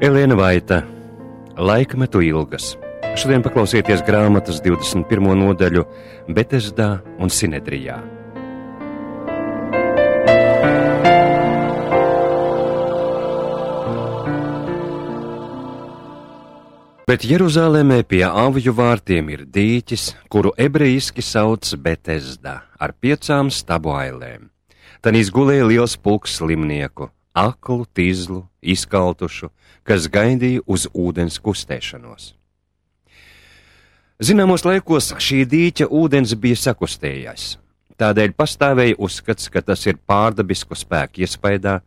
Elēna Vaita, Laikmetu ilgas. Šodien paklausieties grāmatas 21. nodaļu Betesdā un Sinedrijā. Bet Jeruzālēmē pie avju vārtiem ir dīķis, kuru ebrejiski sauc Betesdā, ar 5 stabu ailēm. Tanīs gulēja liels pulks slimnieku, aklu, tizlu, izkaltušu, kas gaidīja uz ūdens kustēšanos. Zināmos laikos šī dīķa ūdens bija sakustējies. Tādēļ pastāvēja uzskats, ka tas ir pārdabisku spēku iespaidā,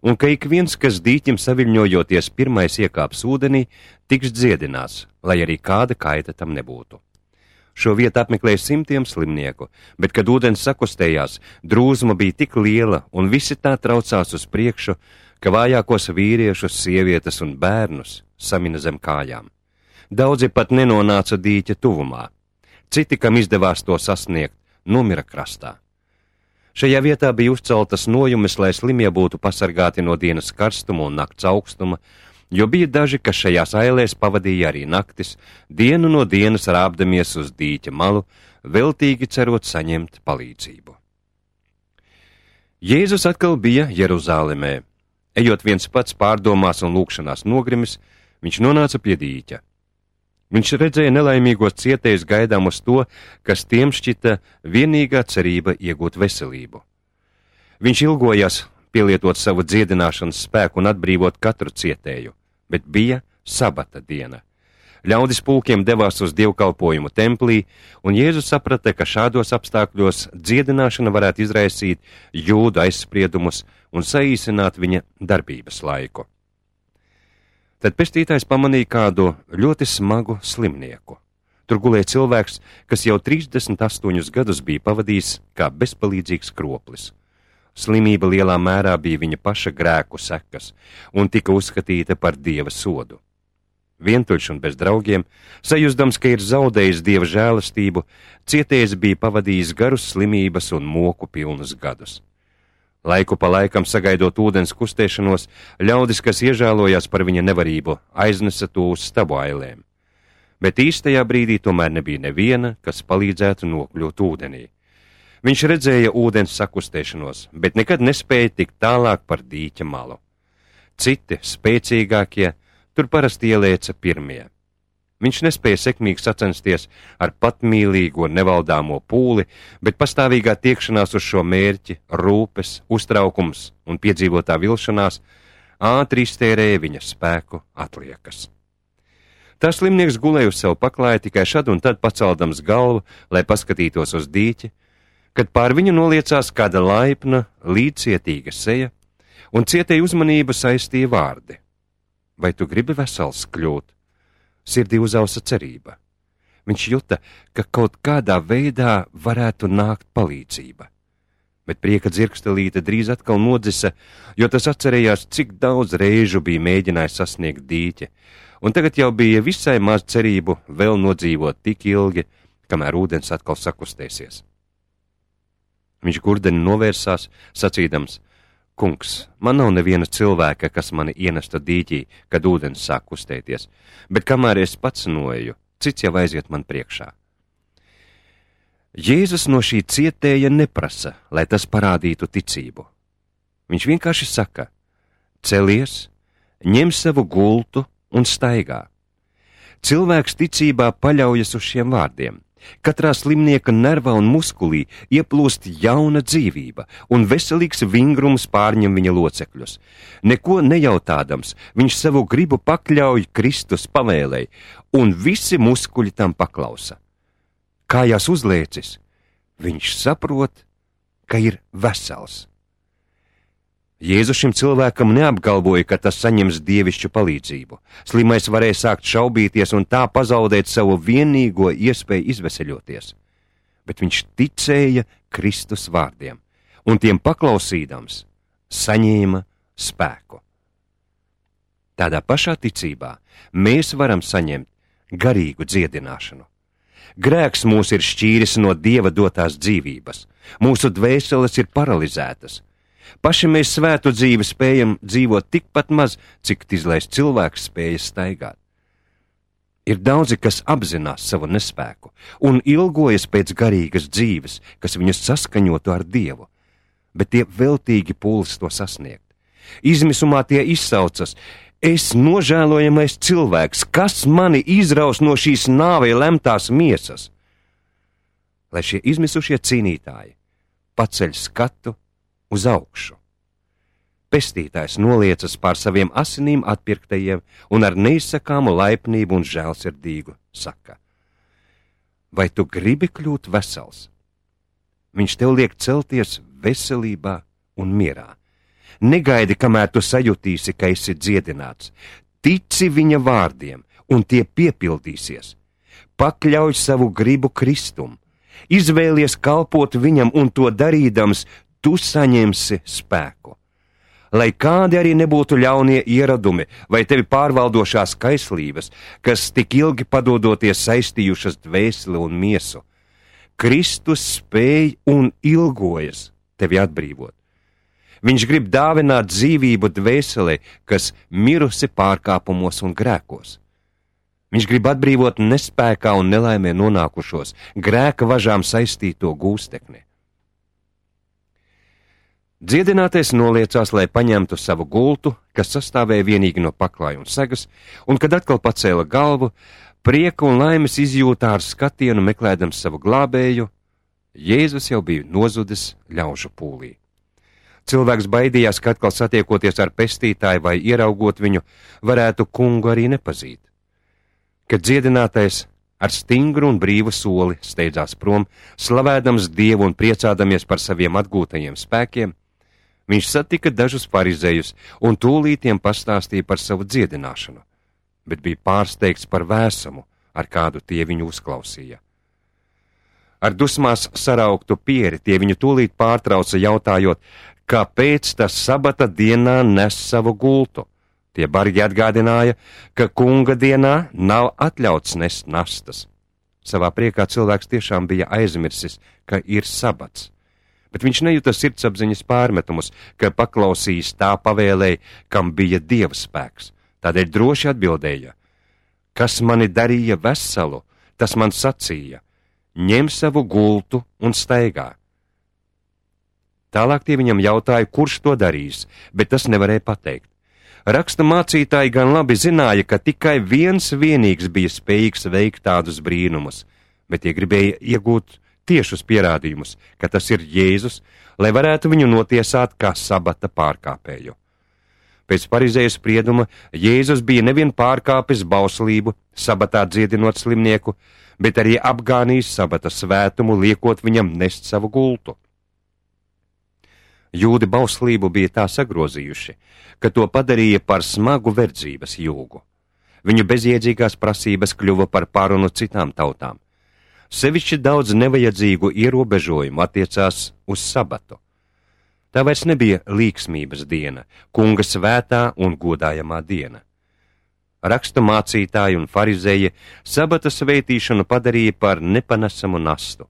un ka ik viens, kas dīķim saviļņojoties pirmais iekāps ūdenī, tiks dziedināts, lai arī kāda kaita tam nebūtu. Šo vietu apmeklēja simtiem slimnieku, bet, kad ūdens sakustējās, drūzma bija tik liela un visi tā traucās uz priekšu, ka vājākos vīriešus, sievietes un bērnus samina zem kājām. Daudzi pat nenonāca dīķa tuvumā. Citi, kam izdevās to sasniegt, nomira krastā. Šajā vietā bija uzceltas nojumes, lai slimie būtu pasargāti no dienas karstuma un nakts augstuma, jo bija daži, kas šajās ailēs pavadīja arī naktis, dienu no dienas rāpdamies uz dīķa malu, veltīgi cerot saņemt palīdzību. Jēzus atkal bija Jeruzālēmē. Ejot viens pats pārdomās un lūkšanās nogrimis, viņš nonāca pie dīķa. Viņš redzēja nelaimīgos cietējus gaidām uz to, kas tiem šķita vienīgā cerība iegūt veselību. Viņš ilgojās pielietot savu dziedināšanas spēku un atbrīvot katru cietēju, bet bija sabata diena. Ļaudis pulkiem devās uz dievkalpojumu templī, un Jēzus saprata, ka šādos apstākļos dziedināšana varētu izraisīt jūdu aizspriedumus un saīsināt viņa darbības laiku. Tad pestītājs pamanīja kādu ļoti smagu slimnieku. Tur gulēja cilvēks, kas jau 38 gadus bija pavadījis kā bezpalīdzīgs kroplis. Slimība lielā mērā bija viņa paša grēku sekas un tika uzskatīta par Dieva sodu. Vientuļš un bez draugiem, sajūsdams, ka ir zaudējis Dieva žēlastību, cietējs bija pavadījis garus slimības un moku pilnus gadus. Laiku pa laikam sagaidot ūdens kustēšanos, ļaudis, kas iežēlojās par viņa nevarību, aiznesa to uz stabu ailēm. Bet īstajā brīdī tomēr nebija neviena, kas palīdzētu nokļūt ūdenī. Viņš redzēja ūdens sakustēšanos, bet nekad nespēja tikt tālāk par dīķa malu. Citi, spēcīgākie, tur parasti ielēca pirmie. Viņš nespēja sekmīgi sacensties ar patmīlīgo nevaldāmo pūli, bet pastāvīgā tiekšanās uz šo mērķi, rūpes, uztraukums un piedzīvotā vilšanās ātri iztērēja viņa spēku atliekas. Tā slimnieks gulēja uz savu paklāju tikai šad un tad paceldams galvu, lai paskatītos uz dīķi, kad pār viņu noliecās kāda laipna, līdzcietīga seja, un cietēja uzmanību saistīja vārdi. Vai tu gribi vesels kļūt? Sirdī uzausa cerība. Viņš juta, ka kaut kādā veidā varētu nākt palīdzība. Bet prieka dzirkstelīte drīz atkal nodzisa, jo tas atcerējās, cik daudz reižu bija mēģinājis sasniegt dīķi, un tagad jau bija visai maz cerību vēl nodzīvot tik ilgi, kamēr ūdens atkal sakustēsies. Viņš gurdeni novērsās, sacīdams: Kungs, man nav neviena cilvēka, kas mani ienesta dīķī, kad ūdens sāk kustēties, bet kamēr es pats noeju, cits jau aiziet man priekšā. Jēzus no šī cietēja neprasa, lai tas parādītu ticību. Viņš vienkārši saka: celies, ņem savu gultu un staigā. Cilvēks ticībā paļaujas uz šiem vārdiem. Katrā slimnieka nervā un muskulī ieplūst jauna dzīvība, un veselīgs vingrums pārņem viņa locekļus. Neko nejautādams, viņš savu gribu pakļauj Kristus pavēlei, un visi muskuļi tam paklausa. Kājās uzliecis, viņš saprot, ka ir vesels. Jēzus šim cilvēkam neapgalvoja, ka tas saņems dievišķu palīdzību. Slimais varēja sākt šaubīties un tā pazaudēt savu vienīgo iespēju izveseļoties. Bet viņš ticēja Kristus vārdiem, un tiem paklausīdams saņēma spēku. Tādā pašā ticībā mēs varam saņemt garīgu dziedināšanu. Grēks mūs ir šķīris no Dieva dotās dzīvības, mūsu dvēseles ir paralizētas. Paši mēs svētu dzīvi spējam dzīvot tikpat maz, cik izlaist cilvēks spēja staigāt. Ir daudzi, kas apzinās savu nespēku un ilgojas pēc garīgas dzīves, kas viņus saskaņotu ar Dievu, bet tie veltīgi pūlas to sasniegt. Izmisumā tie izsaucas: es nožēlojamais cilvēks, kas mani izraus no šīs nāvei lemtās miesas? Lai šie izmisušie cīnītāji paceļ skatu uz augšu. Pestītājs noliecas pār saviem asinīm atpirktajiem un ar neizsakāmu laipnību un žēlsirdīgu saka: vai tu gribi kļūt vesels? Viņš tev liek celties veselībā un mierā. Negaidi, kamēr tu sajutīsi, ka esi dziedināts. Tici viņa vārdiem, un tie piepildīsies. Pakļauj savu gribu Kristum. Izvēlies kalpot viņam, un to darīdams, tu saņemsi spēku. Lai kādi arī nebūtu ļaunie ieradumi vai tevi pārvaldošās kaislības, kas tik ilgi padodoties saistījušas dvēseli un miesu, Kristus spēj un ilgojas tevi atbrīvot. Viņš grib dāvināt dzīvību dvēselē, kas mirusi pārkāpumos un grēkos. Viņš grib atbrīvot nespēkā un nelaimē nonākušos, grēka važām saistīto gūstekni. Dziedinātais noliecās, lai paņemtu savu gultu, kas sastāvēja vienīgi no paklāja un segas, un, kad atkal pacēla galvu, prieka un laimes izjūtā ar skatienu meklēdams savu glābēju, Jēzus jau bija nozudis ļaužu pūlī. Cilvēks baidījās, ka atkal satiekoties ar pestītāju vai ieraugot viņu, varētu kungu arī nepazīt. Kad dziedinātais ar stingru un brīvu soli steidzās prom, slavēdams Dievu un priecādamies par saviem atgūtajiem spēkiem, viņš satika dažus farizejus un tūlītiem pastāstīja par savu dziedināšanu, bet bija pārsteigts par vēsumu, ar kādu tie viņu uzklausīja. Ar dusmās sarauktu pieri tie viņu tūlīt pārtrauca, jautājot, kāpēc tas sabata dienā nes savu gultu. Tie bargi atgādināja, ka kunga dienā nav atļauts nest nastas. Savā priekā cilvēks tiešām bija aizmirsis, ka ir sabats, bet viņš nejuta sirdsapziņas pārmetumus, ka paklausījis tā pavēlēja, kam bija Dieva spēks. Tādēļ droši atbildēja: kas mani darīja veselu, tas man sacīja: ņem savu gultu un staigā. Tālāk tie viņam jautāja, kurš to darīs, bet tas nevarēja pateikt. Raksta mācītāji gan labi zināja, ka tikai viens vienīgs bija spējīgs veikt tādus brīnumus, bet tie gribēja iegūt tiešus pierādījumus, ka tas ir Jēzus, lai varētu viņu notiesāt kā sabata pārkāpēju. Pēc farizēju sprieduma Jēzus bija nevien pārkāpis bauslību, sabatā dziedinot slimnieku, bet arī apgānījis sabata svētumu, liekot viņam nest savu gultu. Jūdi bauslību bija tā sagrozījuši, ka to padarīja par smagu verdzības jūgu. Viņu bezjēdzīgās prasības kļuva par pārunu citām tautām. Sevišķi daudz nevajadzīgu ierobežojumu attiecās uz sabatu. Tā vairs nebija līksmības diena, kunga svētā un godājamā diena. Raksta mācītāji un farizēji sabata svētīšanu padarīja par nepanesamu nastu.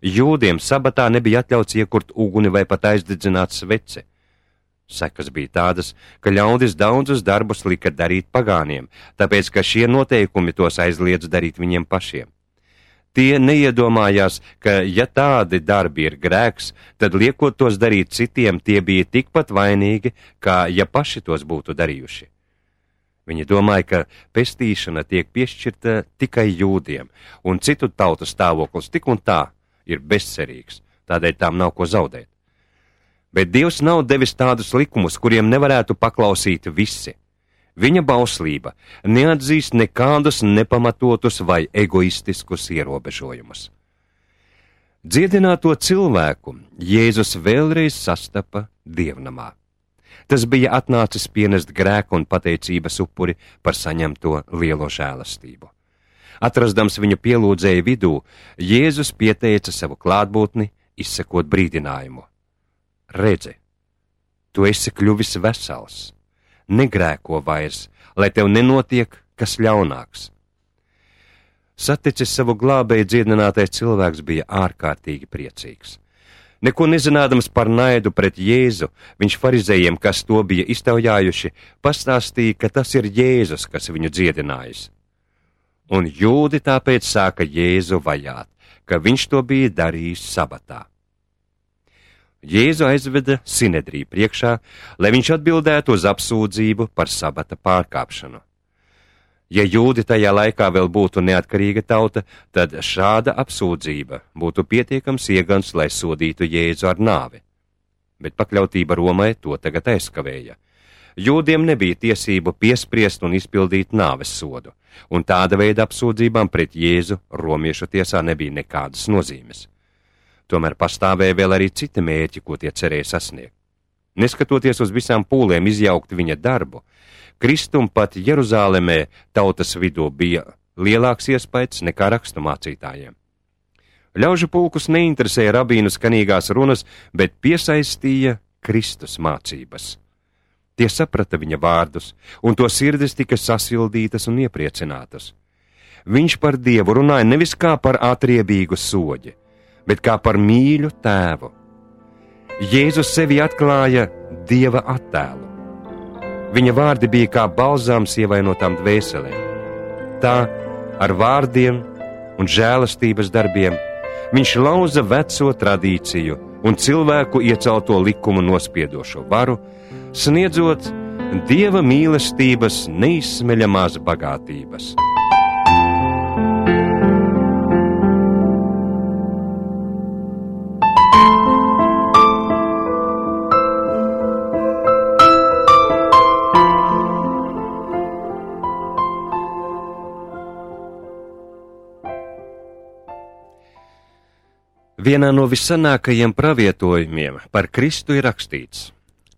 Jūdiem sabatā nebija atļauts iekurt uguni vai pat aizdedzināt sveci. Sekas bija tādas, ka ļaudis daudzus darbus lika darīt pagāniem, tāpēc, ka šie noteikumi tos aizliedz darīt viņiem pašiem. Tie neiedomājās, ka, ja tādi darbi ir grēks, tad liekot tos darīt citiem, tie bija tikpat vainīgi, kā ja paši tos būtu darījuši. Viņi domāja, ka pestīšana tiek piešķirta tikai jūdiem, un citu tautu stāvoklis tik un tā ir bezcerīgs, tādēļ tām nav ko zaudēt. Bet Dievs nav devis tādus likumus, kuriem nevarētu paklausīt visi. Viņa bauslība neatzīst nekādus nepamatotus vai egoistiskus ierobežojumus. Dziedināto cilvēku Jēzus vēlreiz sastapa dievnamā. Tas bija atnācis pienest grēku un pateicības upuri par saņemto lielo žēlastību. Atrastams viņu pielūdzēju vidū, Jēzus pieteica savu klātbūtni, izsakot brīdinājumu. Redzi, tu esi kļuvis vesels, negrēko vairs, lai tev nenotiek kas ļaunāks. Saticis savu glābēju, dziedinātais cilvēks bija ārkārtīgi priecīgs. Neko nezinādams par naidu pret Jēzu, viņš farizējiem, kas to bija iztaujājuši, pastāstīja, ka tas ir Jēzus, kas viņu dziedinājis. Un jūdi tāpēc sāka Jēzu vajāt, ka viņš to bija darījis sabatā. Jēzu aizveda Sinedriju priekšā, lai viņš atbildētu uz apsūdzību par sabata pārkāpšanu. Ja jūdi tajā laikā vēl būtu neatkarīga tauta, tad šāda apsūdzība būtu pietiekams iegans, lai sodītu Jēzu ar nāvi. Bet pakļautība Romai to tagad aizkavēja. Jūdiem nebija tiesību piespriest un izpildīt nāves sodu, un tāda veida apsūdzībām pret Jēzu romiešu tiesā nebija nekādas nozīmes. Tomēr pastāvēja vēl arī citi mērķi, ko tie cerēja sasniegt. Neskatoties uz visām pūlēm izjaukt viņa darbu, Kristum pat Jeruzālemē tautas vidū bija lielāks iespējas nekā raksturmācītājiem. Ļaužu pulkus neinteresēja rabīnu skanīgās runas, bet piesaistīja Kristus mācības. Tie saprata viņa vārdus, un to sirdis tika sasildītas un iepriecinātas. Viņš par Dievu runāja nevis kā par atriebīgu soģi, bet kā par mīļu tēvu. Jēzus sevi atklāja Dieva attēlu. Viņa vārdi bija kā balzāms ievainotām dvēselēm. Tā ar vārdiem un žēlastības darbiem viņš lauza veco tradīciju un cilvēku iecelto likumu nospiedošo varu, sniedzot Dieva mīlestības neizsmeļamās bagātības. Vienā no vissanākajiem pravietojumiem par Kristu ir rakstīts: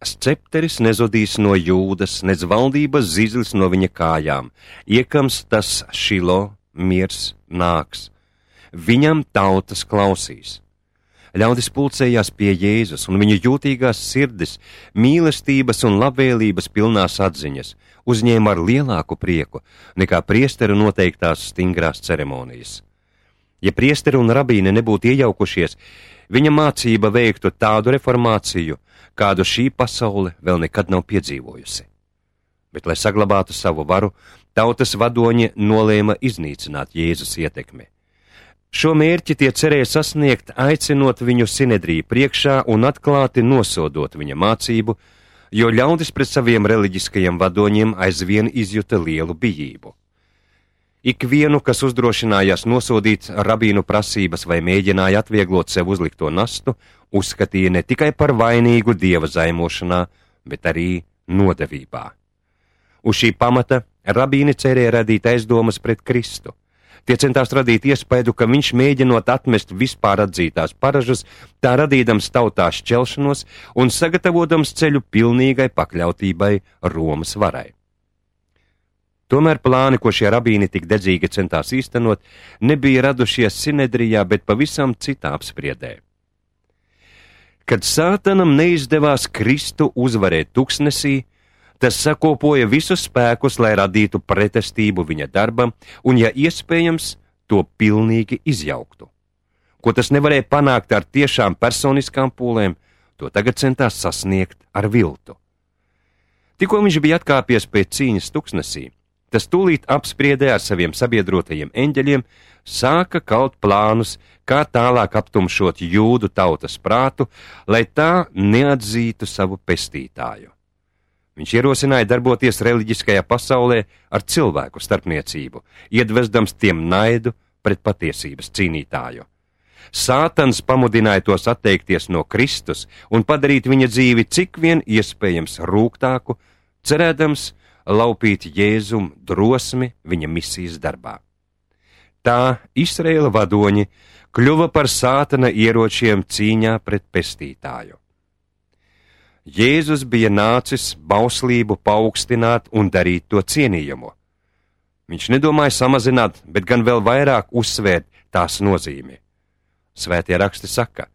Scepteris nezudīs no Jūdas, nec valdības zizlis no viņa kājām, iekams tas Šilo, miers nāks. Viņam tautas klausīs. Ļaudis pulcējās pie Jēzus, un viņa jūtīgās sirdis, mīlestības un labvēlības pilnās atziņas uzņēma ar lielāku prieku nekā priesteru noteiktās stingrās ceremonijas. Ja priesteri un rabīni nebūtu iejaukušies, viņa mācība veiktu tādu reformāciju, kādu šī pasaule vēl nekad nav piedzīvojusi. Bet, lai saglabātu savu varu, tautas vadoņi nolēma iznīcināt Jēzus ietekmi. Šo mērķi tie cerēja sasniegt, aicinot viņu Sinedriju priekšā un atklāti nosodot viņa mācību, jo ļaudis pret saviem reliģiskajiem vadoņiem aizvien izjuta lielu bijību. Ikvienu, kas uzdrošinājās nosodīt rabīnu prasības vai mēģināja atvieglot sev uzlikto nastu, uzskatīja ne tikai par vainīgu Dieva zaimošanā, bet arī nodevībā. Uz šī pamata rabīni cerēja radīt aizdomas pret Kristu. Tie centās radīt iespaidu, ka viņš mēģinot atmest vispār atzītās paražas, tā radīdams tautā šķelšanos un sagatavotams ceļu pilnīgai pakļautībai Romas varai. Tomēr plāni, ko šie rabīni tik dedzīgi centās īstenot, nebija radušies Sinedrijā, bet pavisam citā apspriedē. Kad Sātanam neizdevās Kristu uzvarēt tuksnesī, tas sakopoja visus spēkus, lai radītu pretestību viņa darbam un, ja iespējams, to pilnīgi izjauktu. Ko tas nevarēja panākt ar tiešām personiskām pūlēm, to tagad centās sasniegt ar viltu. Tikko viņš bija atkāpies pēc cīņas tuksnesī, tas tūlīt apspriedē ar saviem sabiedrotajiem eņģeļiem, sāka kaut plānus, kā tālāk aptumšot jūdu tautas prātu, lai tā neatzītu savu pestītāju. Viņš ierosināja darboties reliģiskajā pasaulē ar cilvēku starpniecību, iedvesdams tiem naidu pret patiesības cīnītāju. Sātans pamudināja tos atteikties no Kristus un padarīt viņa dzīvi cik vien iespējams rūgtāku, cerēdams laupīt Jēzum drosmi viņa misijas darbā. Tā Izraēla vadoņi kļuva par Sātana ieročiem cīņā pret pestītāju. Jēzus bija nācis bauslību paaugstināt un darīt to cienījumu. Viņš nedomāja samazināt, bet gan vēl vairāk uzsvērt tās nozīmi. Svētie raksti saka: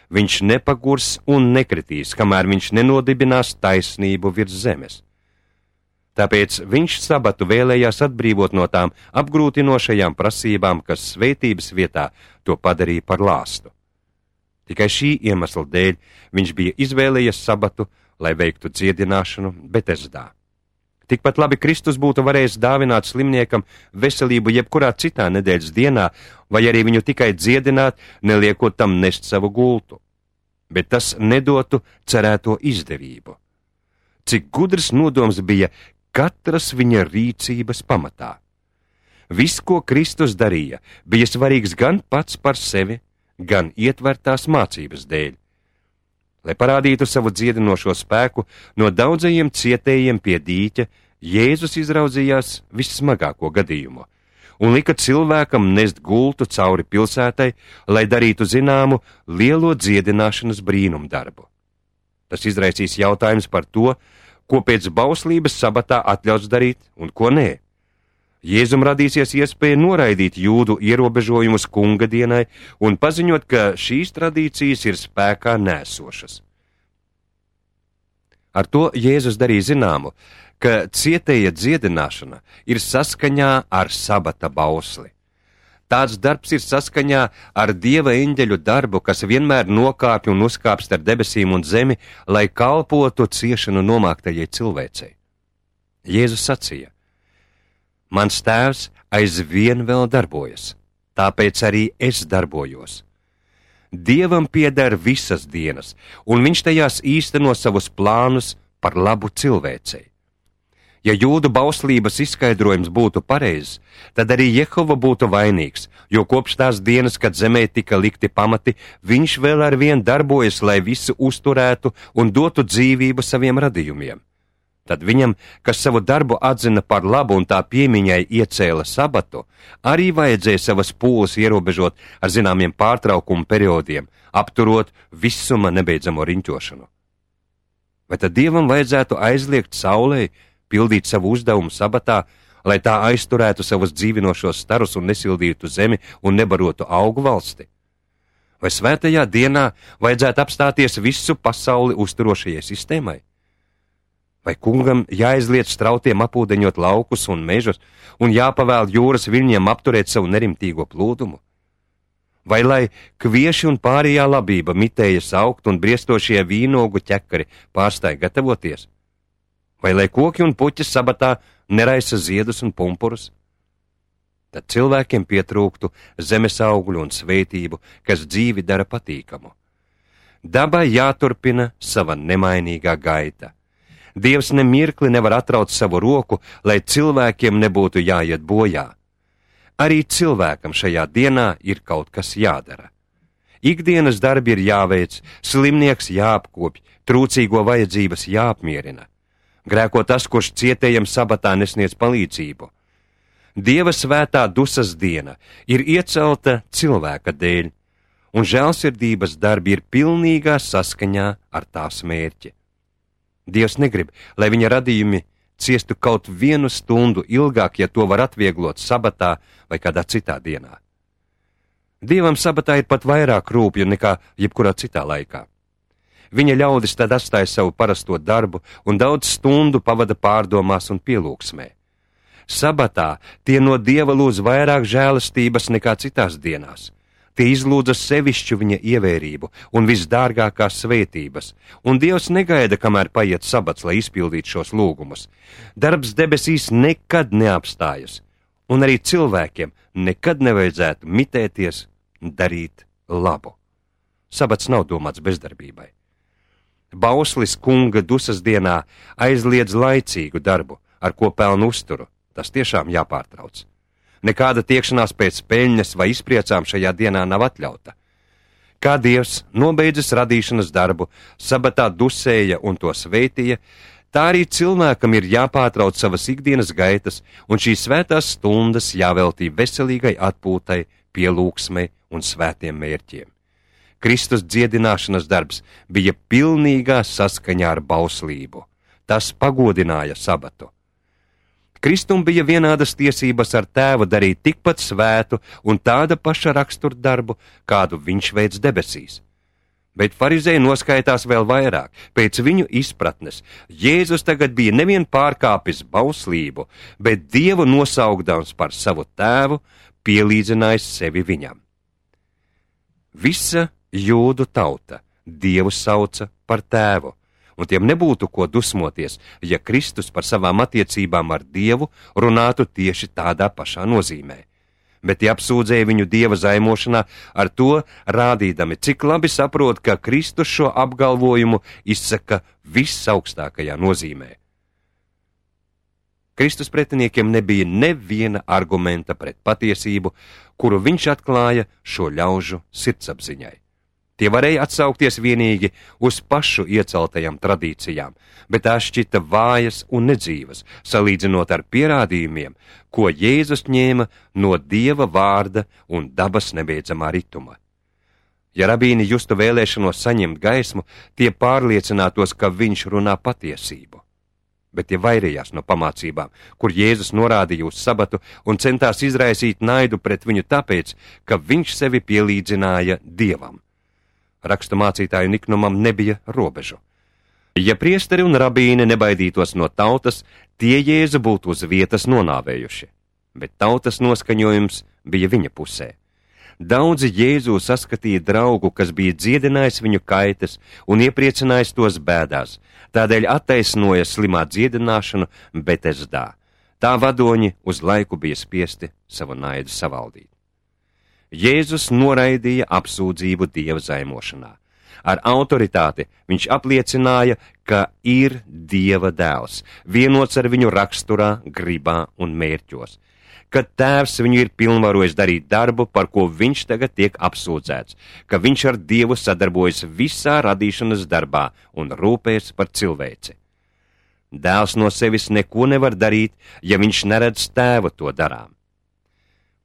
viņš nepagurs un nekritīs, kamēr viņš nenodibinās taisnību virs zemes. Tāpēc viņš sabatu vēlējās atbrīvot no tām apgrūtinošajām prasībām, kas svētības vietā to padarīja par lāstu. Tikai šī iemesla dēļ viņš bija izvēlējies sabatu, lai veiktu dziedināšanu Betesdā. Tikpat labi Kristus būtu varējis dāvināt slimniekam veselību jebkurā citā nedēļas dienā, vai arī viņu tikai dziedināt, neliekot tam nest savu gultu. Bet tas nedotu cerēto izdevību. Cik gudrs nodoms bija katras viņa rīcības pamatā. Viss, ko Kristus darīja, bija svarīgs gan pats par sevi, gan ietvertās mācības dēļ. Lai parādītu savu dziedinošo spēku, no daudzajiem cietējiem pie dīķa Jēzus izraudzījās vissmagāko gadījumu un lika cilvēkam nest gultu cauri pilsētai, lai darītu zināmu lielo dziedināšanas brīnumdarbu. Tas izraisīs jautājums par to, ko pēc bauslības sabatā atļauts darīt un ko nē. Jēzum radīsies iespēja noraidīt jūdu ierobežojumus kunga dienai un paziņot, ka šīs tradīcijas ir spēkā nēsošas. Ar to Jēzus darīja zināmu, ka cietēja dziedināšana ir saskaņā ar sabata bausli. Tāds darbs ir saskaņā ar Dieva eņģeļu darbu, kas vienmēr nokāpj un uzkāpst ar debesīm un zemi, lai kalpotu ciešanu nomāktajai cilvēcei. Jēzus sacīja: Mans tēvs aizvien vēl darbojas, tāpēc arī es darbojos. Dievam pieder visas dienas, un viņš tajās īsteno savus plānus par labu cilvēcei. Ja jūdu bauslības izskaidrojums būtu pareizs, tad arī Jehova būtu vainīgs, jo kopš tās dienas, kad zemē tika likti pamati, viņš vēl ar vien darbojas, lai visu uzturētu un dotu dzīvību saviem radījumiem. Tad viņam, kas savu darbu atzina par labu un tā piemiņai iecēla sabatu, arī vajadzēja savas pūles ierobežot ar zināmiem pārtraukumu periodiem, apturot visuma nebeidzamo riņķošanu. Vai tad Dievam vajadzētu aizliegt saulei pildīt savu uzdevumu sabatā, lai tā aizturētu savus dzīvinošos starus un nesildītu zemi un nebarotu augu valsti? Vai svētajā dienā vajadzētu apstāties visu pasauli uzturošajai sistēmai? Vai kungam jāizliedz strautiem apūdeņot laukus un mežus un jāpavēl jūras viļņiem apturēt savu nerimtīgo plūdumu? Vai lai kvieši un pārējā labība mitējas augt un briestošie vīnogu ķekari pārstāj gatavoties? Vai lai koki un puķis sabatā neraisa ziedus un pumpurus? Tad cilvēkiem pietrūktu zemes augļu un svētību, kas dzīvi dara patīkamu. Dabai jāturpina sava nemainīgā gaita. Dievs nemirkli nevar atraut savu roku, lai cilvēkiem nebūtu jāiet bojā. Arī cilvēkam šajā dienā ir kaut kas jādara. Ikdienas darbi ir jāveic, slimnieks jāapkopj, trūcīgo vajadzības jāapmierina. Grēko tas, kurš cietējam sabatā nesniedz palīdzību. Dieva svētā dusas diena ir iecelta cilvēka dēļ, un žēlsirdības darbi ir pilnīgā saskaņā ar tās mērķi. Dievs negrib, lai viņa radījumi ciestu kaut vienu stundu ilgāk, ja to var atvieglot sabatā vai kādā citā dienā. Dievam sabatā ir pat vairāk rūpju nekā jebkurā citā laikā. Viņa ļaudis tad atstāja savu parasto darbu un daudz stundu pavada pārdomās un pielūgsmē. Sabatā tie no Dieva lūdz vairāk žēlastības nekā citās dienās. Tie izlūdza sevišķu viņa ievērību un visdārgākās svētības, un Dievs negaida, kamēr paiet sabats, lai izpildītu šos lūgumus. Darbs debesīs nekad neapstājas, un arī cilvēkiem nekad nevajadzētu mitēties darīt labu. Sabats nav domāts bezdarbībai. Bauslis kunga dusas dienā aizliedz laicīgu darbu, ar ko pelnu uzturu. Tas tiešām jāpārtrauc. Nekāda tiekšanās pēc peļņas vai izpriecām šajā dienā nav atļauta. Kā Dievs nobeidzis radīšanas darbu, sabatā dusēja un to svētīja, tā arī cilvēkam ir jāpārtrauc savas ikdienas gaitas, un šīs svētās stundas jāveltī veselīgai atpūtai, pielūgsmei un svētiem mērķiem. Kristus dziedināšanas darbs bija pilnīgā saskaņā ar bauslību. Tas pagodināja sabatu. Kristum bija vienādas tiesības ar tēvu darīt tikpat svētu un tāda paša rakstura darbu, kādu viņš veic debesīs. Bet farizēji noskaitās vēl vairāk. Pēc viņu izpratnes Jēzus tagad bija nevien pārkāpis bauslību, bet Dievu nosaukdams par savu tēvu, pielīdzinājis sevi viņam. Visa Jūdu tauta Dievu sauca par tēvu, un tiem nebūtu ko dusmoties, ja Kristus par savām attiecībām ar Dievu runātu tieši tādā pašā nozīmē. Bet tie apsūdzēja viņu Dieva zaimošanā, ar to rādīdami, cik labi saprot, ka Kristus šo apgalvojumu izsaka visaugstākajā nozīmē. Kristus pretiniekiem nebija neviena argumenta pret patiesību, kuru viņš atklāja šo ļaužu sirdsapziņai. Tie varēja atsaukties vienīgi uz pašu ieceltajām tradīcijām, bet tās šķita vājas un nedzīvas, salīdzinot ar pierādījumiem, ko Jēzus ņēma no Dieva vārda un dabas nebeidzamā rituma. Ja rabīni justu vēlēšanos saņemt gaismu, tie pārliecinātos, ka viņš runā patiesību. Bet tie vairījās no pamācībām, kur Jēzus norādīja uz sabatu un centās izraisīt naidu pret viņu tāpēc, ka viņš sevi pielīdzināja Dievam. Rakstu mācītāju niknumam nebija robežu. Ja priesteri un rabīni nebaidītos no tautas, tie Jēzu būtu uz vietas nonāvējuši, bet tautas noskaņojums bija viņa pusē. Daudzi Jēzu saskatīja draugu, kas bija dziedinājis viņu kaitas un iepriecinājis tos bēdās, tādēļ attaisnoja slimā dziedināšanu Betesdā. Tā vadoņi uz laiku bija spiesti savu naidu savaldīt. Jēzus noraidīja apsūdzību Dieva zaimošanā. Ar autoritāti viņš apliecināja, ka ir Dieva dēls, vienots ar viņu raksturā, gribā un mērķos, ka tēvs viņu ir pilnvarojis darīt darbu, par ko viņš tagad tiek apsūdzēts, ka viņš ar Dievu sadarbojas visā radīšanas darbā un rūpējas par cilvēci. Dēls no sevis neko nevar darīt, ja viņš neredz tēvu to darām.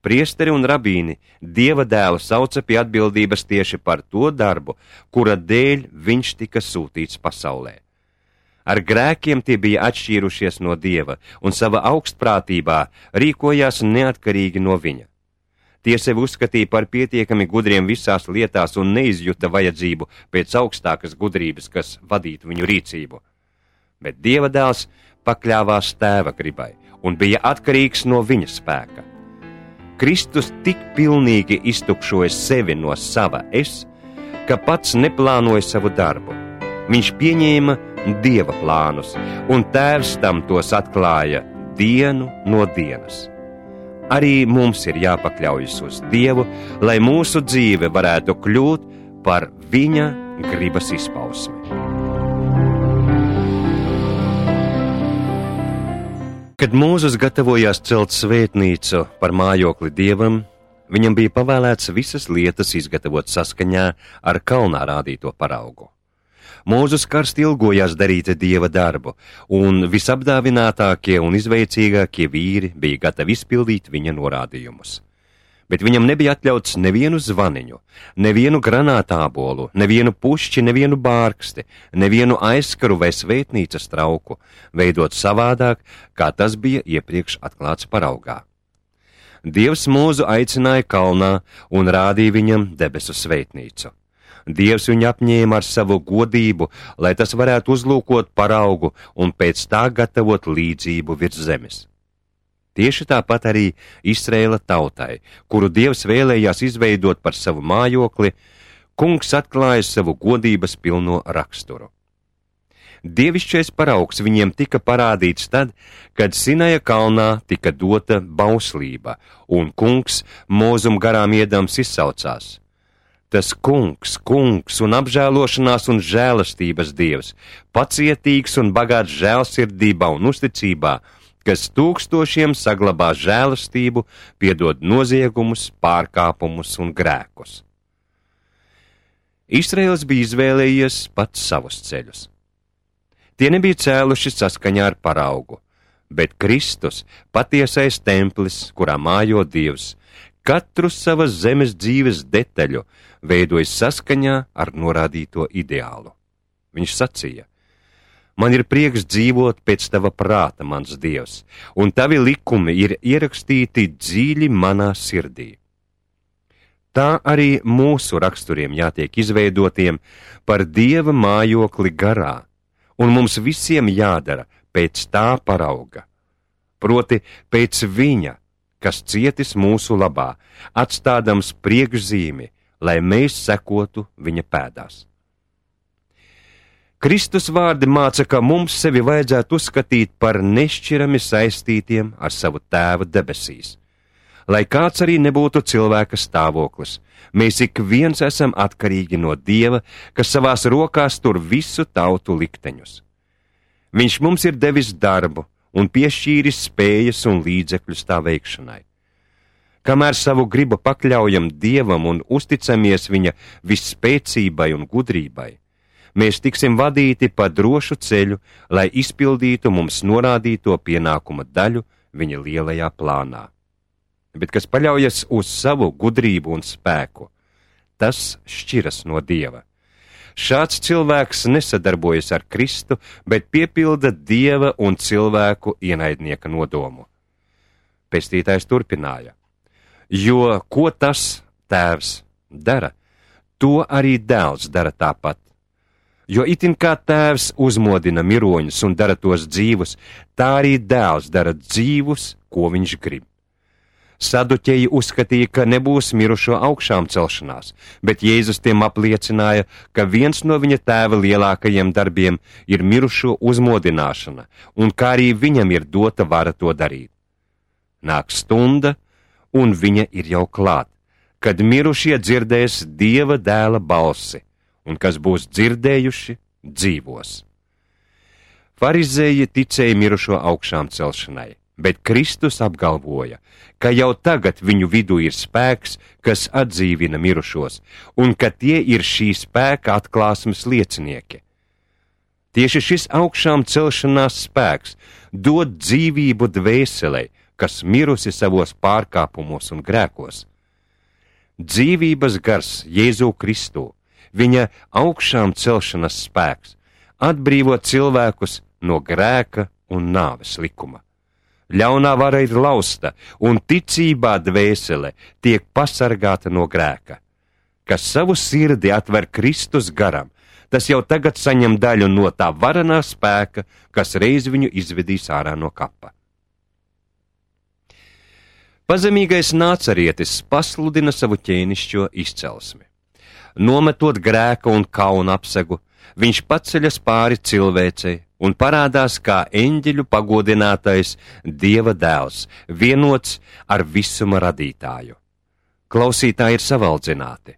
Priesteri un rabīni Dieva dēlu sauca pie atbildības tieši par to darbu, kura dēļ viņš tika sūtīts pasaulē. Ar grēkiem tie bija atšķīrušies no Dieva un savā augstprātībā rīkojās neatkarīgi no viņa. Tie sevi uzskatīja par pietiekami gudriem visās lietās un neizjuta vajadzību pēc augstākas gudrības, kas vadītu viņu rīcību. Bet Dieva dēls pakļāvās tēva gribai un bija atkarīgs no viņa spēka. Kristus tik pilnīgi iztukšoja sevi no sava es, ka pats neplānoja savu darbu. Viņš pieņēma Dieva plānus, un tēvs tam tos atklāja dienu no dienas. Arī mums ir jāpakļaujas uz Dievu, lai mūsu dzīve varētu kļūt par viņa gribas izpausmi. Kad Mūzes gatavojās celt svētnīcu par mājokli Dievam, viņam bija pavēlēts visas lietas izgatavot saskaņā ar kalnā rādīto paraugu. Mūzes karsti ilgojās darīt Dieva darbu, un visapdāvinātākie un izveicīgākie vīri bija gatavi izpildīt viņa norādījumus. Bet viņam nebija atļauts nevienu zvaniņu, nevienu granātābolu, nevienu pušķi, nevienu bārksti, nevienu aizskaru vai svētnīcas trauku veidot savādāk, kā tas bija iepriekš atklāts paraugā. Dievs Mūzu aicināja kalnā un rādīja viņam debesu svētnīcu. Dievs viņu apņēma ar savu godību, lai tas varētu uzlūkot paraugu un pēc tā gatavot līdzību virs zemes. Tieši tāpat arī Izraēla tautai, kuru Dievs vēlējās izveidot par savu mājokli, Kungs atklāja savu godības pilno raksturu. Dievišķais paraugs viņiem tika parādīts tad, kad Sinaja kalnā tika dota bauslība, un Kungs Mūzum garām iedams izsaucās: Tas Kungs, Kungs un apžēlošanās un žēlastības Dievs, pacietīgs un bagāts žēlsirdībā un uzticībā, kas tūkstošiem saglabā žēlastību, piedod noziegumus, pārkāpumus un grēkus. Izraēls bija izvēlējies pats savus ceļus. Tie nebija cēluši saskaņā ar paraugu, bet Kristus, patiesais templis, kurā mājo Dievs, katru savas zemes dzīves detaļu veidoja saskaņā ar norādīto ideālu. Viņš sacīja: Man ir prieks dzīvot pēc tava prāta, mans Dievs, un tavi likumi ir ierakstīti dziļi manā sirdī. Tā arī mūsu raksturiem jātiek izveidotiem par Dieva mājokli garā, un mums visiem jādara pēc tā parauga, proti pēc viņa, kas cietis mūsu labā, atstādams priekšzīmi lai mēs sekotu viņa pēdās. Kristus vārdi māca, ka mums sevi vajadzētu uzskatīt par nešķirami saistītiem ar savu tēvu debesīs. Lai kāds arī nebūtu cilvēka stāvoklis, mēs ik viens esam atkarīgi no Dieva, kas savās rokās tur visu tautu likteņus. Viņš mums ir devis darbu un piešķīris spējas un līdzekļus tā veikšanai. Kamēr savu gribu pakļaujam Dievam un uzticamies viņa visspēcībai un gudrībai, mēs tiksim vadīti pa drošu ceļu, lai izpildītu mums norādīto pienākuma daļu viņa lielajā plānā. Bet kas paļaujas uz savu gudrību un spēku, tas šķiras no Dieva. Šāds cilvēks nesadarbojas ar Kristu, bet piepilda Dieva un cilvēku ienaidnieka nodomu. Pestītājs turpināja: jo ko tas tēvs dara, to arī dēls dara tāpat. Jo itin kā tēvs uzmodina miroņus un dara tos dzīvus, tā arī dēls dara dzīvus, ko viņš grib. Saduķeji uzskatīja, ka nebūs mirušo augšām celšanās, bet Jēzus tiem apliecināja, ka viens no viņa tēva lielākajiem darbiem ir mirušo uzmodināšana, un kā arī viņam ir dota vara to darīt. Nāk stunda, un viņa ir jau klāt, kad mirušie dzirdēs Dieva dēla balsi, un kas būs dzirdējuši, dzīvos. Farizēji ticēja mirušo augšām celšanai, bet Kristus apgalvoja, ka jau tagad viņu vidū ir spēks, kas atdzīvina mirušos, un ka tie ir šī spēka atklāsmes liecinieki. Tieši šis augšām celšanās spēks dod dzīvību dvēselei, kas mirusi savos pārkāpumos un grēkos. Dzīvības gars Jēzu Kristu, viņa augšām celšanas spēks, atbrīvo cilvēkus no grēka un nāves likuma. Ļaunā vara ir lausta, un ticībā dvēsele tiek pasargāta no grēka. Kas savu sirdi atver Kristus garam, tas jau tagad saņem daļu no tā varenā spēka, kas reiz viņu izvedīs ārā no kapa. Pazemīgais nācarietis pasludina savu ķēnišķo izcelsmi. Nometot grēka un kauna apsegu, viņš paceļas pāri cilvēcei un parādās kā eņģeļu pagodinātais Dieva dēls, vienots ar visuma radītāju. Klausītāji ir savaldzināti.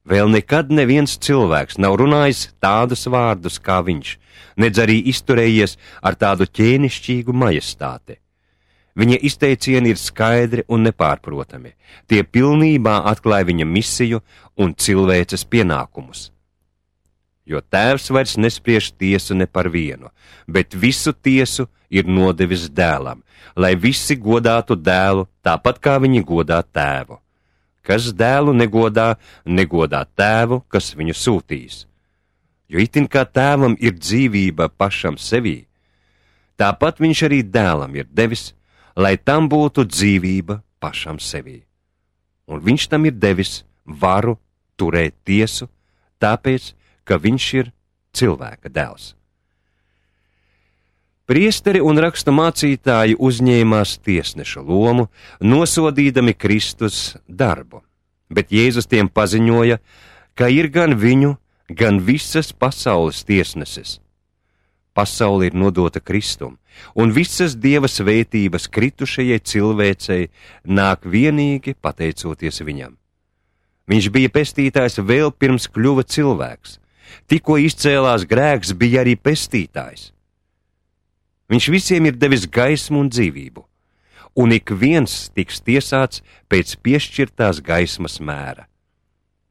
Vēl nekad neviens cilvēks nav runājis tādus vārdus kā viņš, nedz arī izturējies ar tādu ķēnišķīgu majestāti. Viņa izteicieni ir skaidri un nepārprotami. Tie pilnībā atklāja viņa misiju un cilvēces pienākumus. Jo tēvs vairs nespriež tiesu ne par vienu, bet visu tiesu ir nodevis dēlam, lai visi godātu dēlu tāpat kā viņi godā tēvu. Kas dēlu negodā, negodā tēvu, kas viņu sūtīs. Jo itin kā tēvam ir dzīvība pašam sevī, tāpat viņš arī dēlam ir devis, lai tam būtu dzīvība pašam sevī. Un viņš tam ir devis varu turēt tiesu, tāpēc, ka viņš ir cilvēka dēls. Priesteri un rakstu mācītāji uzņēmās tiesneša lomu, nosodīdami Kristus darbu, bet Jēzus tiem paziņoja, ka ir gan viņu, gan visas pasaules tiesneses. Pasaule ir nodota Kristum, un visas Dieva svētības kritušajai cilvēcei nāk vienīgi pateicoties viņam. Viņš bija pestītājs vēl pirms kļuva cilvēks. Tikko izcēlās grēks, bija arī pestītājs. Viņš visiem ir devis gaismu un dzīvību, un ik viens tiks tiesāts pēc piešķirtās gaismas mēra.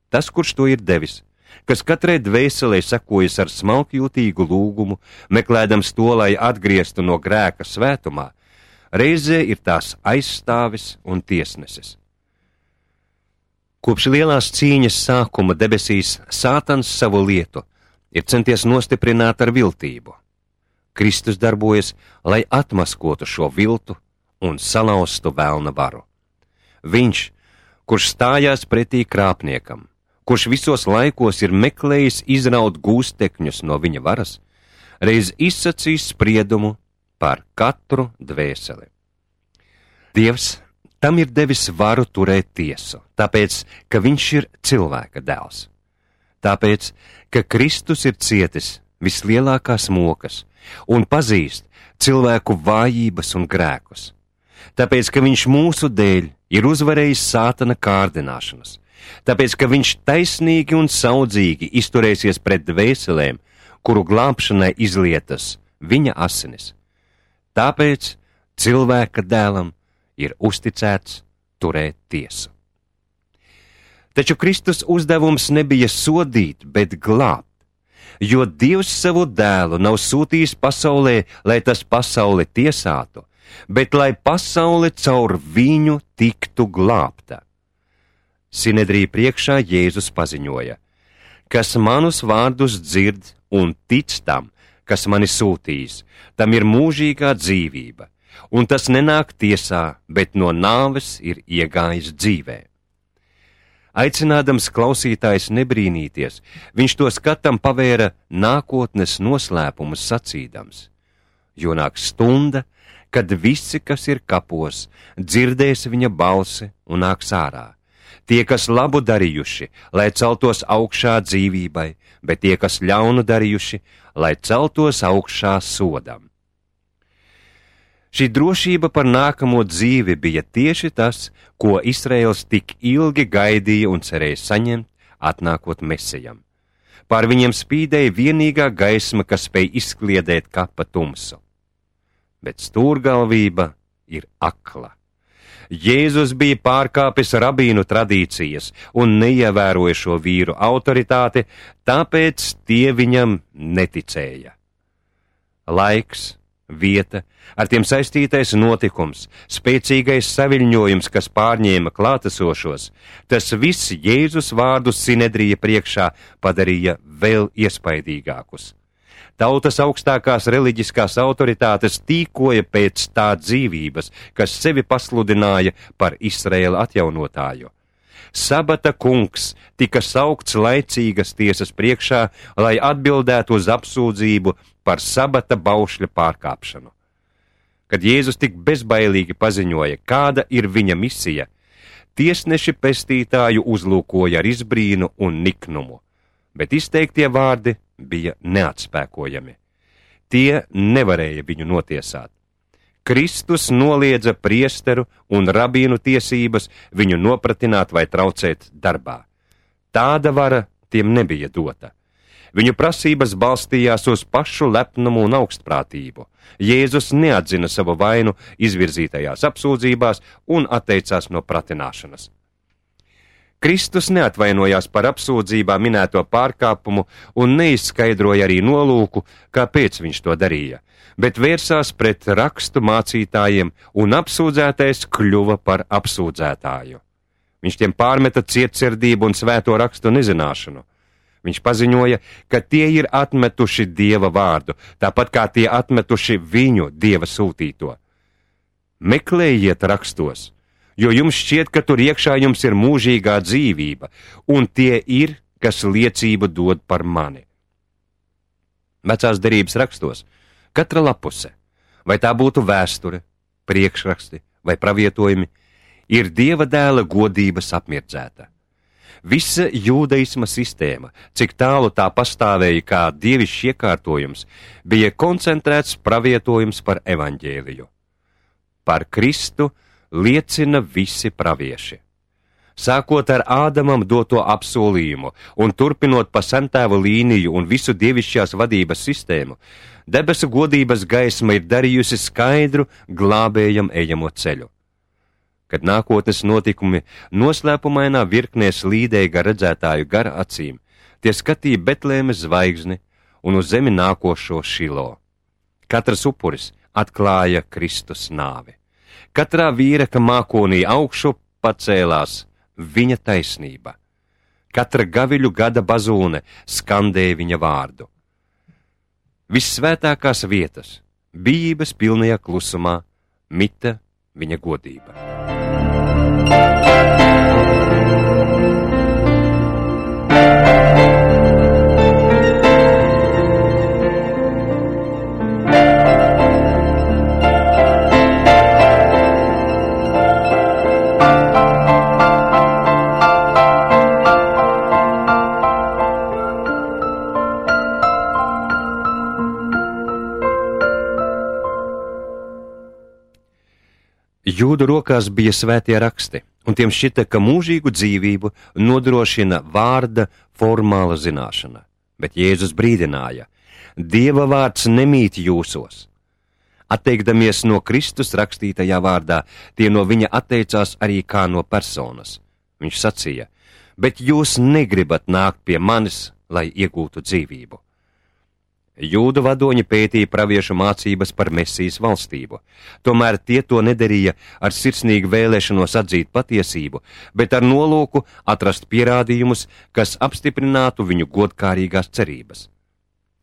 Tas, kurš to ir devis, kas katrai dvēselē sekojas ar smalkjūtīgu lūgumu, meklēdams to, lai atgrieztu no grēka svētumā, reizē ir tās aizstāvis un tiesnesis. Kopš lielās cīņas sākuma debesīs Sātans savu lietu ir centies nostiprināt ar viltību. Kristus darbojas, lai atmaskotu šo viltu un salauztu velna varu. Viņš, kurš stājās pretī krāpniekam, kurš visos laikos ir meklējis izraut gūstekņus no viņa varas, reiz izsacīs spriedumu par katru dvēseli. Dievs, tam ir devis varu turēt tiesu, tāpēc, ka viņš ir cilvēka dēls. Tāpēc, ka Kristus ir cietis vislielākās mokas un pazīst cilvēku vājības un grēkus. Tāpēc, ka viņš mūsu dēļ ir uzvarējis sātana kārdināšanas. Tāpēc, ka viņš taisnīgi un saudzīgi izturēsies pret dvēselēm, kuru glābšanai izlietas viņa asinis. Tāpēc cilvēka dēlam ir uzticēts turēt tiesu. Taču Kristus uzdevums nebija sodīt, bet glābt, jo Dievs savu dēlu nav sūtījis pasaulē, lai tas pasauli tiesātu, bet lai pasaule caur viņu tiktu glābta. Sinedrija priekšā Jēzus paziņoja: kas manus vārdus dzird un tic tam, kas mani sūtījis, tam ir mūžīgā dzīvība, un tas nenāk tiesā, bet no nāves ir iegājis dzīvē. Aicinādams klausītājs nebrīnīties, viņš to skatam pavēra nākotnes noslēpumus sacīdams: jo nāk stunda, kad visi, kas ir kapos, dzirdēs viņa balsi un nāks ārā. Tie, kas labu darījuši, lai celtos augšā dzīvībai, bet tie, kas ļaunu darījuši, lai celtos augšā sodam. Šī drošība par nākamo dzīvi bija tieši tas, ko Izraels tik ilgi gaidīja un cerēja saņemt, atnākot Mesijam. Pār viņiem spīdēja vienīgā gaisma, kas spēj izkliedēt kapa tumsu. Bet stūrgalvība ir akla. Jēzus bija pārkāpis rabīnu tradīcijas un neievēroja šo vīru autoritāti, tāpēc tie viņam neticēja. Laiks, vieta, ar tiem saistītais notikums, spēcīgais saviļņojums, kas pārņēma klātesošos, tas viss Jēzus vārdus Sinedrija priekšā padarīja vēl iespaidīgākus. Tautas augstākās reliģiskās autoritātes tīkoja pēc tā dzīvības, kas sevi pasludināja par Izraēla atjaunotāju. Sabata kungs tika saukts laicīgas tiesas priekšā, lai atbildētu uz apsūdzību par sabata baušļa pārkāpšanu. Kad Jēzus tik bezbailīgi paziņoja, kāda ir viņa misija, tiesneši pestītāju uzlūkoja ar izbrīnu un niknumu, bet izteiktie vārdi bija neatspēkojami. Tie nevarēja viņu notiesāt. Kristus noliedza priesteru un rabīnu tiesības viņu nopratināt vai traucēt darbā. Tāda vara tiem nebija dota. Viņu prasības balstījās uz pašu lepnumu un augstprātību. Jēzus neatzina savu vainu izvirzītajās apsūdzībās un atteicās no pratināšanas. Kristus neatvainojās par apsūdzībā minēto pārkāpumu un neizskaidroja arī nolūku, kāpēc viņš to darīja, bet vērsās pret rakstu mācītājiem un apsūdzētais kļuva par apsūdzētāju. Viņš tiem pārmeta cietsirdību un svēto rakstu nezināšanu. Viņš paziņoja, ka tie ir atmetuši Dieva vārdu, tāpat kā tie atmetuši viņu Dieva sūtīto. Meklējiet rakstos, jo jums šķiet, ka tur iekšā jums ir mūžīgā dzīvība, un tie ir, kas liecību dod par mani. Vecās derības rakstos katra lapuse, vai tā būtu vēsture, priekšraksti vai pravietojumi, ir Dieva dēla godības apmirdzēta. Visa jūdaisma sistēma, cik tālu tā pastāvēja kā dievišķs iekārtojums, bija koncentrēts pravietojums par evaņģēliju. Par Kristu liecina visi pravieši. Sākot ar Ādamam doto apsolījumu un turpinot pa sentēvu līniju un visu dievišķās vadības sistēmu, debesu godības gaisma ir darījusi skaidru glābējam ejamo ceļu. Kad nākotnes notikumi noslēpumainā virknē slīdēja gar redzētāju gara acīm, tie skatīja Betlēmes zvaigzni un uz zemi nākošo Šilo. Katrs upuris atklāja Kristus nāvi. Katrā vīreka mākonī augšu pacēlās viņa taisnība. Katra gaviļu gada bazūne skandēja viņa vārdu. Vissvētākās vietas, bijības pilnajā klusumā, mita viņa godība. Jūdu rokās bija svētie raksti, un tiem šķita, ka mūžīgu dzīvību nodrošina vārda formāla zināšana. Bet Jēzus brīdināja: Dieva vārds nemīt jūsos. Atteikdamies no Kristus rakstītajā vārdā, tie no viņa atteicās arī kā no personas. Viņš sacīja: Bet jūs negribat nākt pie manis, lai iegūtu dzīvību. Jūdu vadoņi pētīja praviešu mācības par Mesijas valstību, tomēr tie to nedarīja ar sirsnīgu vēlēšanos atzīt patiesību, bet ar nolūku atrast pierādījumus, kas apstiprinātu viņu godkārīgās cerības.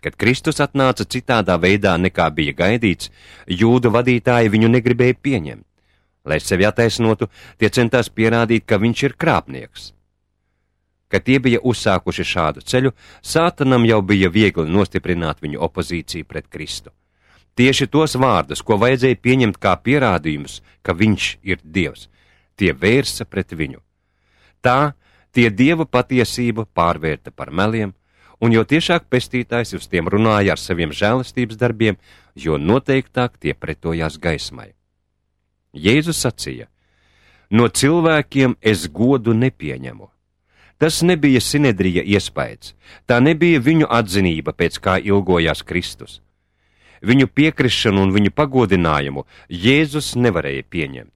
Kad Kristus atnāca citādā veidā nekā bija gaidīts, jūdu vadītāji viņu negribēja pieņemt. Lai sevi attaisnotu, tie centās pierādīt, ka viņš ir krāpnieks. Kad tie bija uzsākuši šādu ceļu, Sātanam jau bija viegli nostiprināt viņu opozīciju pret Kristu. Tieši tos vārdus, ko vajadzēja pieņemt kā pierādījumus, ka viņš ir Dievs, tie vērsa pret viņu. Tā tie Dieva patiesību pārvērta par meliem, un jo tiešāk pestītājs uz tiem runāja ar saviem žēlastības darbiem, jo noteiktāk tie pretojās gaismai. Jēzus sacīja: No cilvēkiem es godu nepieņemu. Tas nebija Sinedrija iespējas, tā nebija viņu atzinība, pēc kā ilgojās Kristus. Viņu piekrišanu un viņu pagodinājumu Jēzus nevarēja pieņemt.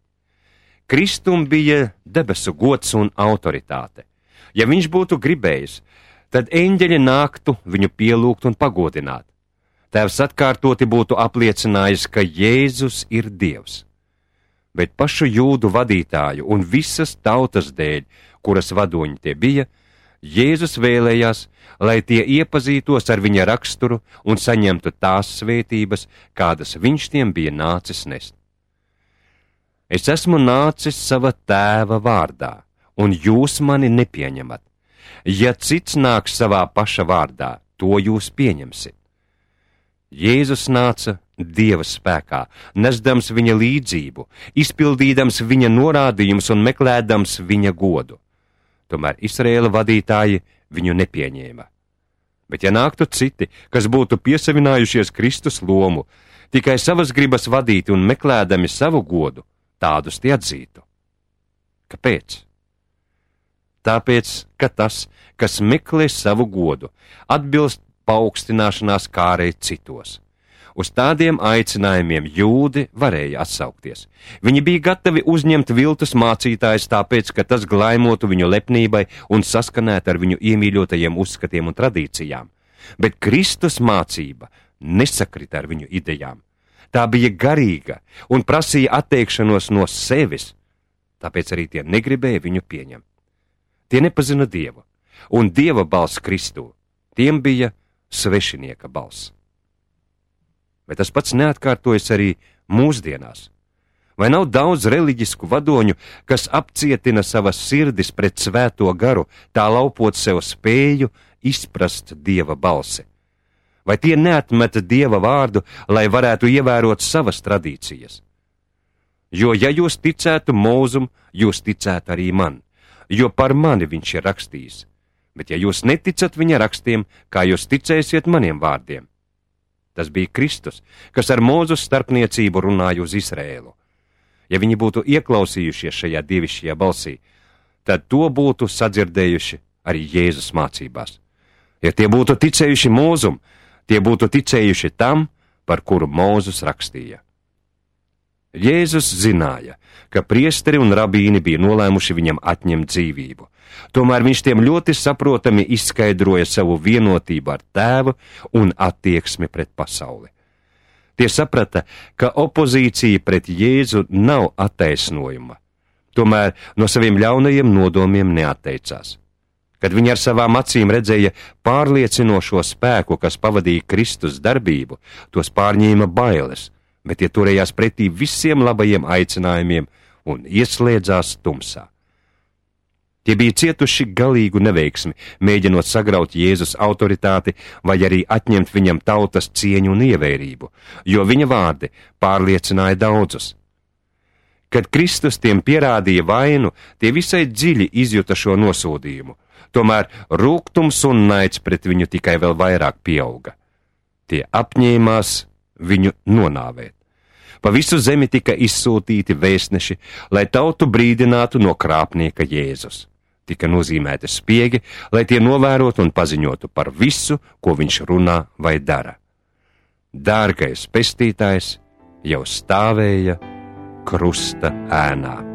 Kristum bija debesu gods un autoritāte. Ja viņš būtu gribējis, tad eņģeļi nāktu viņu pielūgt un pagodināt. Tēvs atkārtoti būtu apliecinājis, ka Jēzus ir Dievs. Bet pašu jūdu vadītāju un visas tautas dēļ, kuras vadoņi tie bija, Jēzus vēlējās, lai tie iepazītos ar viņa raksturu un saņemtu tās svētības, kādas viņš tiem bija nācis nest. Es esmu nācis sava tēva vārdā, un jūs mani nepieņemat. Ja cits nāks savā paša vārdā, to jūs pieņemsiet. Jēzus nāca Dieva spēkā, nesdams viņa līdzību, izpildīdams viņa norādījumus un meklēdams viņa godu. Tomēr Izraēla vadītāji viņu nepieņēma. Bet ja nāktu citi, kas būtu piesavinājušies Kristus lomu, tikai savas gribas vadīti un meklēdami savu godu, tādus tie atzītu. Kāpēc? Tāpēc, ka tas, kas meklē savu godu, atbilst paaugstināšanās kārei citos. Uz tādiem aicinājumiem jūdi varēja atsaukties. Viņi bija gatavi uzņemt viltus mācītājus tāpēc, ka tas glaimotu viņu lepnībai un saskanētu ar viņu iemīļotajiem uzskatiem un tradīcijām. Bet Kristus mācība nesakrita ar viņu idejām. Tā bija garīga un prasīja atteikšanos no sevis, tāpēc arī tie negribēja viņu pieņemt. Tie nepazina Dievu, un Dieva balss Kristū, tiem bija svešinieka balss. Bet tas pats neatkārtojas arī mūsdienās. Vai nav daudz reliģisku vadoņu, kas apcietina savas sirdis pret svēto garu, tā laupot sev spēju izprast Dieva balsi? Vai tie neatmeta Dieva vārdu, lai varētu ievērot savas tradīcijas? Jo, ja jūs ticētu Mūzum, jūs ticētu arī man, jo par mani viņš ir rakstījis. Bet ja jūs neticat viņa rakstiem, kā jūs ticēsiet maniem vārdiem? Tas bija Kristus, kas ar Mūzes starpniecību runāja uz Izrēlu. Ja viņi būtu ieklausījušies šajā dievišķajā balsī, tad to būtu sadzirdējuši arī Jēzus mācībās. Ja tie būtu ticējuši Mūzum, tie būtu ticējuši tam, par kuru Mūzes rakstīja. Jēzus zināja, ka priesteri un rabīni bija nolēmuši viņam atņemt dzīvību. Tomēr viņš tiem ļoti saprotami izskaidroja savu vienotību ar Tēvu un attieksmi pret pasauli. Tie saprata, ka opozīcija pret Jēzu nav attaisnojuma, tomēr no saviem ļaunajiem nodomiem neatteicās. Kad viņi ar savām acīm redzēja pārliecinošo spēku, kas pavadīja Kristus darbību, tos pārņēma bailes, bet tie turējās pretī visiem labajiem aicinājumiem un ieslēdzās tumsā. Tie bija cietuši galīgu neveiksmi, mēģinot sagraut Jēzus autoritāti vai arī atņemt viņam tautas cieņu un ievērību, jo viņa vārdi pārliecināja daudzus. Kad Kristus tiem pierādīja vainu, tie visai dziļi izjuta šo nosodījumu, tomēr rūgtums un naids pret viņu tikai vēl vairāk pieauga. Tie apņēmās viņu nonāvēt. Pa visu zemi tika izsūtīti vēstneši, lai tautu brīdinātu no krāpnieka Jēzus. Tika nozīmēti spiegi, lai tie novērotu un paziņotu par visu, ko viņš runā vai dara. Dārgais pestītājs jau stāvēja krusta ēnā.